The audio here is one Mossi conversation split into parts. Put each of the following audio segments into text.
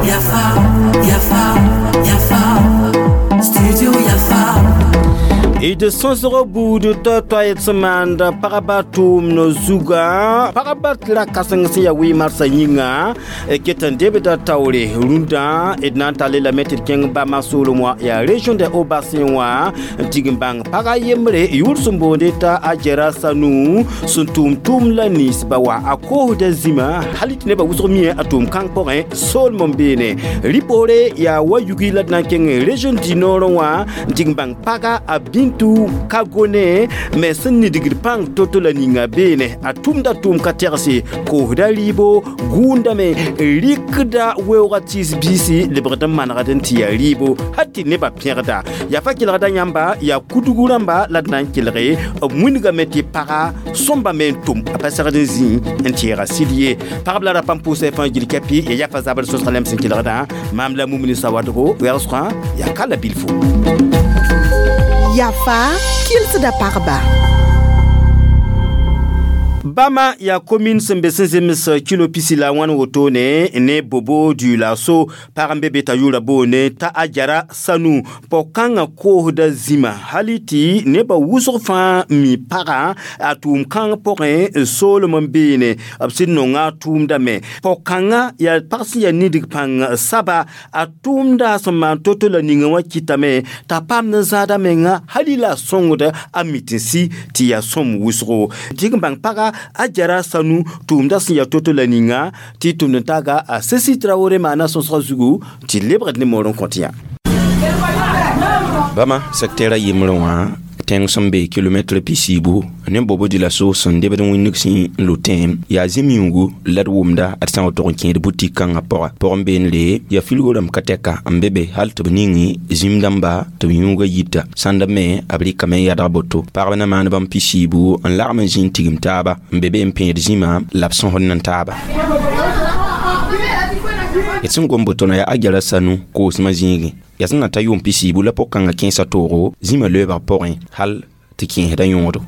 Yafa, Yafa, Yafa, Studio Yafa. D sõsg buud toay-toay sẽn maand pagba tʋʋmd zuga pagba ra kãseng sẽn yaa wɩ-marsã yĩnga ket n debda taoore rũndã d na n tall lame tɩ d kẽng bama soolem wã yaa région de Haut-Bassin wã n tig n bãng paga yembre yʋʋr sẽn boonde t'a Ajara Sanu sẽn tʋʋm tʋʋm la ninsba wa a koosda zĩma hal tɩ nebã wʋsg mie a tʋʋm kãng pʋgẽ soolem n beene rɩ-poore yaa wa yugi la d na n kẽng région du Nord wã n tig n bãng paga a Bintu Kagone me sẽn nidgd pãng to-to la ninga beene a tʋmda tʋʋm ka tɛgse koosda rɩɩbo gũundame rɩkda weoogã tɩɩs biisi lebgd n manegd n tɩ yaa rɩɩbo hal tɩ nebã pẽgda yaa fa kelgda yãmba yaa kudgu rãmba la d na n kelge b wĩndgame tɩ paga sõmba me n tʋm a pa segd n zĩ n tẽega sɩd ye pagb la ra pãmb pʋʋsa fãa gil kɛpɩ ya yafa zabr sõsg lem sẽn kelgdã maam la mumni sawadgo wɛgsgã yaa ka la bilfo. Yafa kɩlsda pagba. Bama yaa commune sẽn be sẽn zems kilo pisi la wãn wotone ne Bobo Dioulasso pag n be be t'a yʋʋra boone t'a Ajara Sanu pao-kãngã koosda zĩma hal tɩ nebã wʋsg fãa mi pagã a tʋʋm kãng pʋgẽ soolem n beene b sẽn nonga a tʋʋmdame pao-kãngã yaa pag sẽn yaa nidg pãng saba a tʋʋmda sẽn maan to-to la ninga wã kɩtame t'a paamd n zãada menga hal y la a sõngd a mit-n-sɩ tɩ yaa sõm wʋsgo tɩ n bãng paga Ajara Sanu tʋʋmda sẽn yaa to-to la ninga tɩ tʋmd n taaga a Sesi Traoré maana sõsgã zugu tɩ lebgd ne moor n kõt yã. Bama secteur a yembrẽ wã tẽng sẽn be kilomɛtr pisiibu ne Bobo Dioulasso sẽn debd wĩndg sẽn n lo tẽem yaa zĩm yũugu la d wʋmda d sã n tog n kẽed butik kãngã pʋga pʋgẽ beendre yaa filgo rãmb ka tɛka n be be hal tɩ b ning zĩm dãmba tɩ b yũuga yita sãnda me b rɩkame n yadg boto pagb na maan bãmb pisiibu n lagm n zĩ n tigim taaba n be be n pẽed zĩma la b sõsd n taaba. D sẽn gom boto na yaa Ajara Sanu koosmã zĩigẽ yaa sẽn na ta yʋʋm pisiibu la pʋg-kãngã kẽesa toogo zĩmã loeebg pʋgẽ hal tɩ kẽesda yõodo.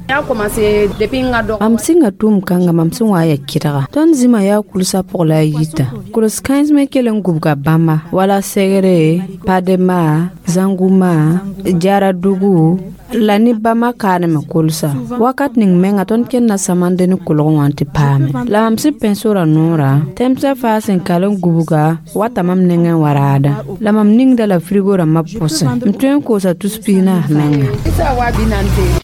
Mam sɩnga tʋʋm kãnga mam sẽn wa yaa kɩdga tõnd zĩma yaa kulsã pʋg la a yita kuls kãens me kell n gubga bãmba wala segre Padema Zanguma Jaradugu la ne bãmba kaaneme kolsa wakat ning menga tõnd kẽnda samande ne kolg wã tɩ paame la mam sẽn pẽ sora noorã tɛmsã faa sẽn kal n gubga wata mam nengẽ wa raada la mam ningda la frigo rãmbã pʋsẽ n tõe n koosa tus pis-naas menga.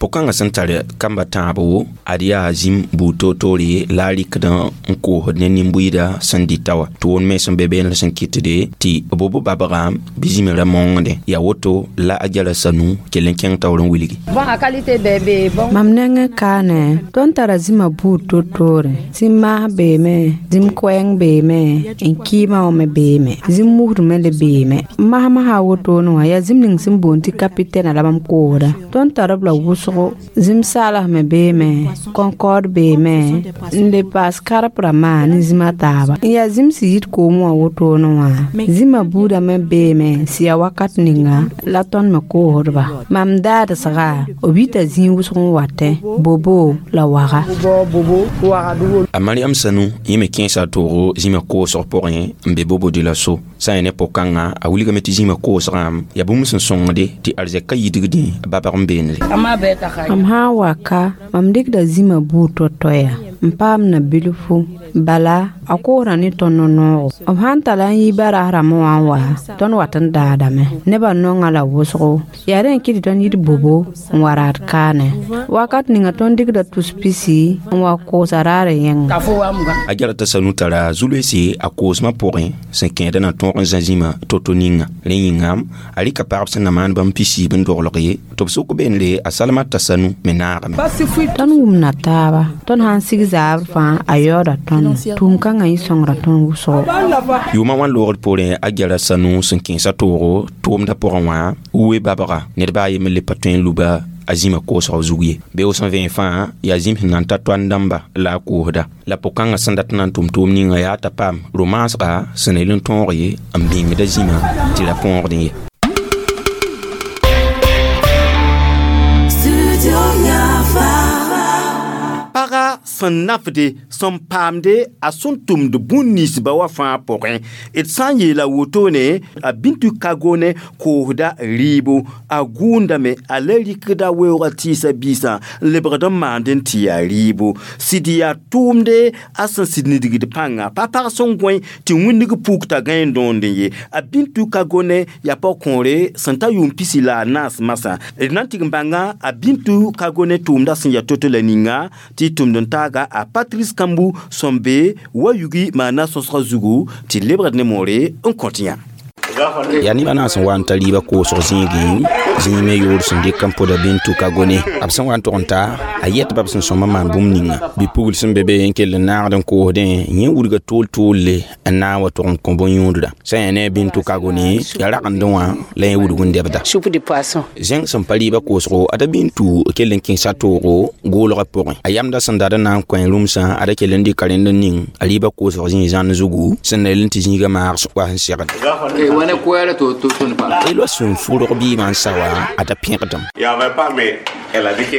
Pʋg-kãngã sẽn tar kamba tãabo ad yaa zĩm buud toor-toore la a rɩkd n koosd ne nin-bʋɩda sẽn dɩta wã tɩ wʋn me sẽn be beene sẽn kɩtde tɩ bobo babgã bɩ zĩmã ra maongdẽ yaa woto la Ajara Sanu kell n kẽng taoor n wilgi. Mam nengẽ kaane tõnd tara zĩmã buud toor-toore zĩm maas beeme zĩm koɛɛng beeme n kɩɩmã wã me beeme zĩm musd me le beeme masmasã wotone wã yaa zĩm ning sẽn boond tɩ kapitɛna la mam koosda tõnd tara b la wʋsgo zĩm saalas me beeme Concorde beeme n le paas karp rãmbã ne zĩmã taaba n yaa zĩm sẽn yit koom wã wotone wã zĩmã buudã me beeme sẽn yaa wakat ninga la tõnd me koosdba mam daadsga b yita zĩig wʋsg n watẽ Bobo la Waga. A Mariam Sanu yẽ me kẽesa a toogo zĩmã koosg pʋgẽ n be Bobo Dioulasso sã n yaa ne pʋg-kãngã a wilgame tɩ zĩmã koosgã yaa bũmb sẽn sõngde tɩ arzɛk ka yidgdẽ babg n beendre. Mam sã n wa ka mam dɩkda zĩmã buud to-toɛya n paam na bilfu bala a koosda ne tõnd noogo b sãn tala n yi baras rãmbã wã n wa tõnd wat n daadame nebã nonga la wʋsgo yaa rẽ n kɩt tɩ tõnd yit Bobo n wa raad kaane wakat ninga tõnd dɩkda tus pisi n wa koosa raarã yẽnga. Ajara t'a Sanu tara zu-loeese a koosmã pʋgẽ sẽn kẽeda na tõog n zã zĩmã to-to ninga rẽ yĩnga a rɩka pagb sẽn na maan bãmb pisiib n doglg ye tɩ b sʋk beendre a Salmata Sanu me naagame. Tõnd wʋmda taaba tõnd sã n sig zaabr fãa a yaooda tõnd tʋʋm kãngã yẽ sõngra tõnd wʋsgo. Yʋʋmã wã loogd poorẽ Ajara Sanu sẽn kẽesa toogo tʋʋmdã pʋgẽ wã we babga ned baa a yembr le pa tõe n luba a zĩmã koosg zug ye beoog sẽn vẽen fãa yaa zĩm sẽn na n ta toan dãmba la a koosda la pʋg-kãngã sẽn dat n na n tʋm tʋʋm ninga yaa t'a paam ro-maasga sẽn el n tõog ye n bĩngda zĩmã tɩ ra põogdẽ ye. Studio Yafa. Paga Paga sẽn nafde sẽn paamde a sẽn tʋmd bũn ninsba wã fãa pʋgẽ. D sã n yeela wotone a Bintu Kagone koosda rɩɩbo, a gũundame, a la rɩkda weoogã tɩɩsa biisã n lebgd n maand n tɩ yaa rɩɩbo. Sɩd yaa tʋʋmde a sẽn sɩd nidgd pãnga, pa pag sẽn gõe tɩ wĩndg puk t'a gãe n dõond ye. A Bintu Kagone yaa pag-kõore sẽn ta yʋʋm 14 masã. D na n tɩg n bãnga a Bintu Kagone tʋʋmda sẽn yaa to-to la ninga tɩ tʋmd n taaga a Patrice Kambu sẽn be wa yugi maana sõsgã zugu tɩ lebgd ne moore n kõt yã. Yaa neb a naas n wa n ta rɩɩbã koosg zĩigẽ, zĩig me yoor sẽn dɩk n pʋda Bintu Kagone. B sẽn wa n tog n ta, a yɛtba b sẽn sõma maan bũmb ninga. Bi-pugl sẽn be be n kell n naagd n koosdẽ, yẽ wudga tool-toolle n na n wa tog n kõ bõn-yũudra. Sã n yaa ne a Bintu Kagone, yaa ragendẽ wã la yẽ wudg n dɛbda. Zẽng sẽn pa rɩɩbã koosgo, ada Bintu kell n kẽesa toogo goolgã pʋgẽ. A yamda sẽn dat n na n kõ rũmsã, ada kell n dɩka rẽnd n ning a rɩɩbã koosg zĩig zãnd zugu, sẽn na yel n tɩ zĩigã maag wa sẽn segd. Elwa sẽn fʋrg biimã n sa wã, a da pẽgdem.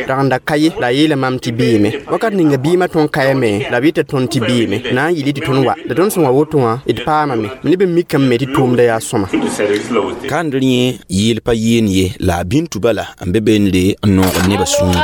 Ragenda ka ye la a yeela mam tɩ beeme. Wakat ninga biimã tõnd kayame la b yeta tõnd tɩ beeme. Na n yɩl tɩ tõnd wa. La tõnd sẽn wa woto wã, d paamame. Neb n mikame me tɩ tʋʋmda yaa sõma. Kandr yẽ yeel pa yeen ye, la a Bintu bala n be beendre n noogd nebã sũur.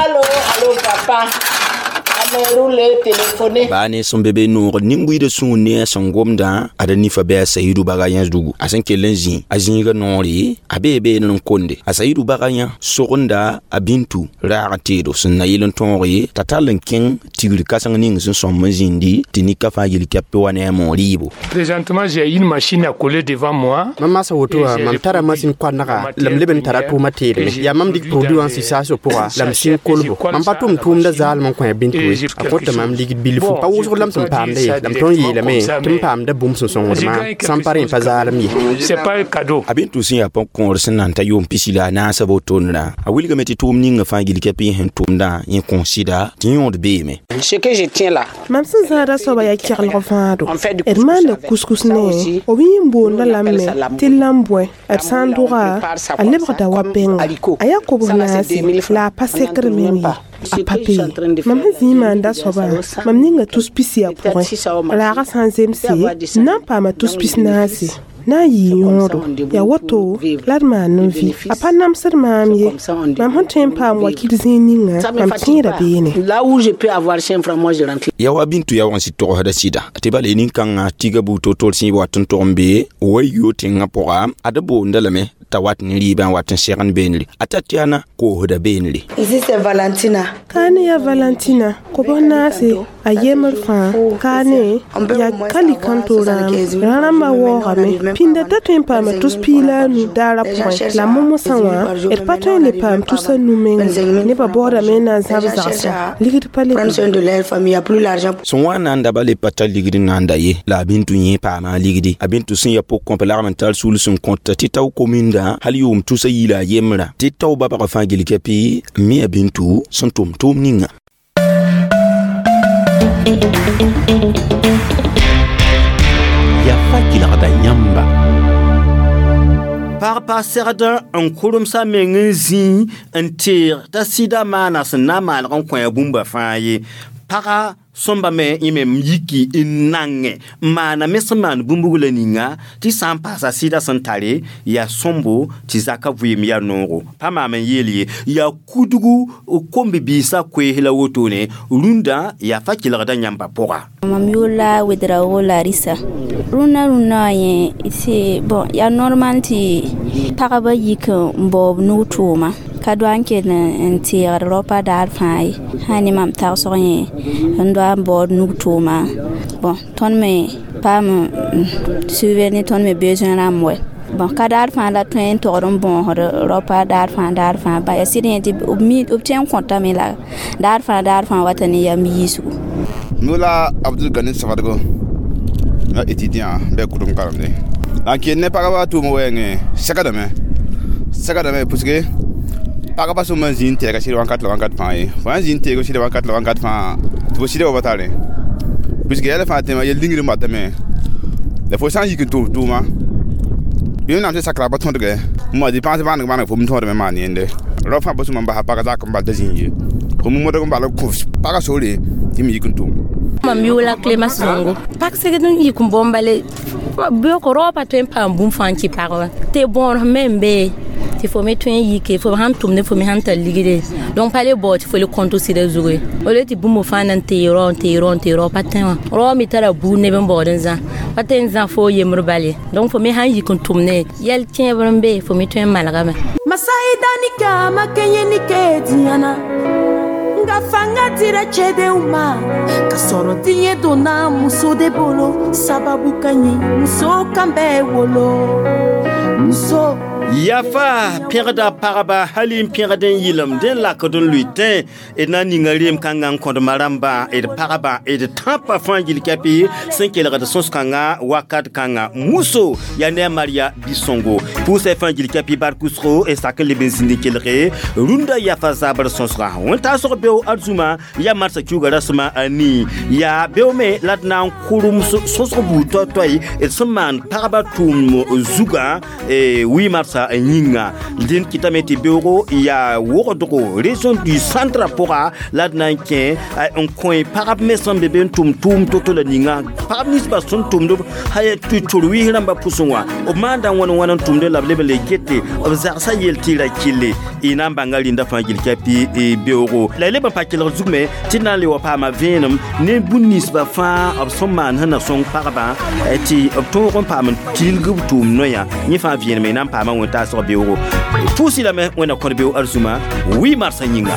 Baa ne sẽn be be noogd nin-buiidã sũur ne a sẽn gomdã, ada nifa bɩ a Sayidu baga yã zugu. A sẽn kell n zĩ a zĩigã noore, a bee beene n konde. A Sayidu baga yã sogenda a Bintu raag teedo sẽn na yel n tõog ye t'a tall n kẽng tigr kãseng ning sẽn sõm n zĩndi tɩ nika fãa yel-kɛp wa ne a moor rɩɩbo. Présentement, j'ai une machine à coller devant moi. Mam maasa woto wã, mam tara masin koanega la m leb n tara tʋʋmã teedme. Yaa mam dɩk produit wã n sɩ saasg pʋga la m sĩn kolbo. Mam pa tʋm tʋʋmda zaalem n kõ a Bintu ye. A kõta mam ligd bilfu. Pa wʋsg la m sẽn paamda ye, la m tõnd yeelame tɩ m paamda bũmb sẽn sõngd maam, sãn pa rẽ pa zaalem ye. C'est pas un cadeau. A Bintu sẽn yaa pʋg-kõor sẽn na n ta yʋʋm 14 wotondrã, a wilgame tɩ tʋʋm ninga fãa gil-kɛp yẽ sẽn tʋmdã yẽ kõ sɩda tɩ yõod beeme. Mam sẽn zãada soaba yaa keglg vãado. D maanda kuskus ne b yĩn boonda lame tɩ lam-bõe. D sã n dʋga, a lebgda wa bɛnga. A yaa kobs naase la a pa sekr meng ye. A pa be ye. Mam sẽn zĩig maanda soabã, mam ninga tus pisi a pʋgẽ. Raagã sã n zemse, n na n paama tus 14. Na n yɩ yõodo. Yaa woto la d maan n vɩ. A pa namsd maam ye. Mam sẽn tõe n paam wakil zĩig ninga, mam kẽeda beene. Yaa wa Bintu yaoog n sɩd togsda sɩda tɩ bala nin-kãngã tiga buud to-tol sẽn wat n tog n be wa yo tẽngã pʋga, ad boonda lame t'a wat ne rɩɩbã n wat n segend beenre. A Tatiana koosda beenre. Ici c'est Valentina. Kaane yaa Valentina, kobs naase, a yembr fãa. Kaane yaa kalikanto rãam. Rã-rãmbã waoogame. Pĩnda t'a tõe n paama tus 15 daarã pʋgẽ. La momosã wã, d pa tõe n le paam tus a nu mengẽ. Nebã baoodame n na n zãb zagsã. Ligd pa le be. Sẽn wa n na n da ba le pa tar ligd n na n da ye, la a Bintu yẽ paama a ligdi. A Bintu sẽn yaa pʋg-kõp lagm n tar sul sẽn kõta tɩ tao kominda hal yʋʋm tusa yiila a yembrã, tɩ tao babgã fãa gil-kɛpɩ n mi a Bintu sẽn tʋm tʋʋm ninga. Yaa fa kelgda yãmba. Pag pa segd n kʋremsã meng n zĩ n teeg t'a sɩda maana sẽn na n maalg n kõ a bũmba fãa ye. Paga sõmba me yẽ me yiki n nange n maana me sẽn maan bũmb la ninga tɩ sã n paasa sɩda sẽn tare yaa sõmbo tɩ zaka vɩɩm yaa noogo. Pa maam n yeel ye, yaa kudgu kombi-biisã koees la wotone rũndã yaa fa kelgda yãmba pʋga. Mam yʋʋr la Wedraogo Larissa. Rũnnã rũnnã wã yẽ c'est bon, yaa normal tɩ pagba yik n baoob nug tʋʋma. Ka doa n kell n teegd raopa daar fãa ye. Sã ne mam tagsg yẽ n doa n baood nug tʋʋma. Bon, tõnd me paam subvenir tõnd me besoin rãmb wɛ. Bon, ka daar fãa la tõe n togd n bõosd raopa daar fãa daar fãa. Ba yaa sɩd yẽ tɩ b tõe n kõtame la daar fãa daar fãa wata ne yam yiisgu. Nola Abdul Gani Savadogo, na étudiant bɛ kudum karamde. La ke ne pagaba tʋʋm wɛɛngẽ sɛgdame sɛgdame puisque pagba sẽn man zĩig n tɛɛga sɩd wãnkat la wãnkat fãa ye. Fo sãn zĩig n teeg sɩd wãnkat la wãnkat fãa tɩ fo sɩda wa pa tare. Puisque yɛla fãa tẽma yel lingr n batame. La fo sã n yik n tʋm tʋʋma, wẽnnaam sẽn sakra pa tõdge, ma dépense bãneg bãneg fo m tõodme maan yẽnde. Rao fãa pa sũma n basa pag zak n bal t'a zĩig ye. Fo modg n bal n kõ pagã sore tɩ m yik n tʋm. Mam yʋʋla Clémence Zongo. Pag segd n yik n bõmb bale beoog raoopã tõe n paam bũmb fãa n kɩ pagba tɩ bõor me n be tɩ fo me tõe n yike, fo sãn tʋmde, fo me sãn tar ligde, donc pa le bao tɩ fo le kõnt sɩda zugu ye. O le tɩ bũmb fãa na n tee rao, n tee rao, n tee rao, pa tẽ wã rao me tara buud neb n baood n zã, pa tẽ n zã fo yembr bal ye. Donc fo me sãn yik n tʋmne, yɛl kẽebr n be, fo me tõe n malgame. Masayidanika makɛɲɛni kɛ diɲɛ na, nka fanga dira cɛdenw ma ka sɔrɔ diɲɛ donna muso de bolo, sababu ka ɲi muso kan bɛɛ wolo muso. Yafa pẽgda pagba, hali n pẽgd n yɩlem dẽ lakd n lʋɩ tẽ d na n ninga reem kãngã n kõdma rãmbã, d pagba, d tãpã fãa gil kɛpɩ sẽn kelgd sõs-kãngã wakat kãngã. Muso yaa ne a Maria Bisongo pʋʋsɛ fãa gil kɛpɩ barkusgo d sak n leb n zĩnd n kelge rũndã yafa zabr sõsgã. Wẽn-taasg beo arzũma yaa marsã kiuga rasema a nii, yaa beo me la d na n kʋrem sõsg buud toay-toay d sẽn maan pagba tʋʋm zugã wi marsã yĩnga. Dẽnd kɩtame tɩ beoogo yaa wogdgo région du centre pʋga la d na n kẽ n kõ pagb me sẽn be be n tʋm tʋʋm to-to la ninga pagb ninsbã sẽn tʋmd tɩ tor-wɩs rãmbã pʋsẽ wã, b maanda wãn wãn n tʋmde la b leb n le gete b zagsã yel tɩ ra kɩlle. Y na n bãnga rĩndã fãa gil kɛpɩ beoogo la y leb n pa kelg zug me tɩ d na n le wa paama vẽenem ne bũn ninsbã fãa b sẽn maan sẽn na sõng pagba tɩ b tõog n paam n tilg b tʋʋm noyã. Yẽ fãa vẽenem y na n paama wẽn-taasg beoogo. Pʋʋsɩ lame Wẽnna kõd beo arzũma wi marsã yĩnga.